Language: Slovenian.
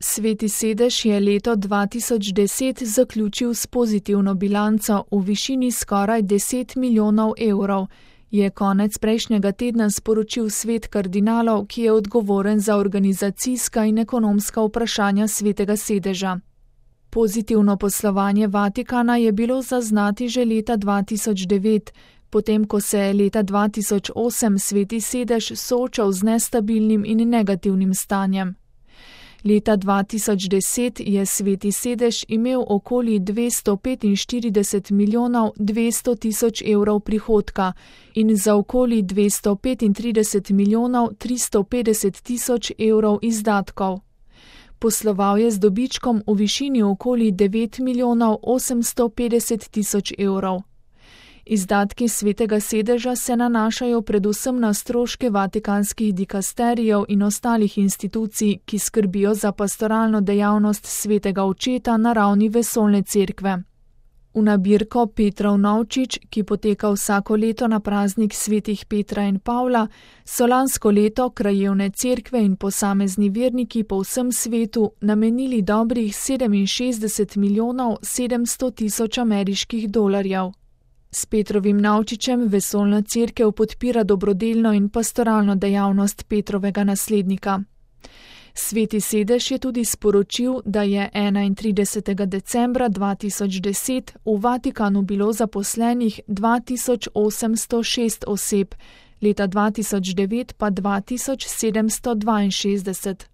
Sveti sedež je leto 2010 zaključil s pozitivno bilanco v višini skoraj 10 milijonov evrov, je konec prejšnjega tedna sporočil svet kardinalov, ki je odgovoren za organizacijska in ekonomska vprašanja svetega sedeža. Pozitivno poslovanje Vatikana je bilo zaznati že leta 2009, potem ko se je leta 2008 sveti sedež soočal z nestabilnim in negativnim stanjem. Leta 2010 je sveti sedež imel okoli 245 milijonov 200 tisoč evrov prihodka in za okoli 235 milijonov 350 tisoč evrov izdatkov. Posloval je z dobičkom v višini okoli 9 milijonov 850 tisoč evrov. Izdatki svetega sedeža se nanašajo predvsem na stroške vatikanskih dikasterijev in ostalih institucij, ki skrbijo za pastoralno dejavnost svetega očeta na ravni vesoljne cerkve. V nabirko Petrov novčič, ki poteka vsako leto na praznik svetih Petra in Pavla, so lansko leto krajevne cerkve in posamezni verniki po vsem svetu namenili dobrih 67 milijonov 700 tisoč ameriških dolarjev. S Petrovim novčičem vesoljna cerkev podpira dobrodelno in pastoralno dejavnost Petrovega naslednika. Sveti sedež je tudi sporočil, da je 31. decembra 2010 v Vatikanu bilo zaposlenih 2806 oseb, leta 2009 pa 2762.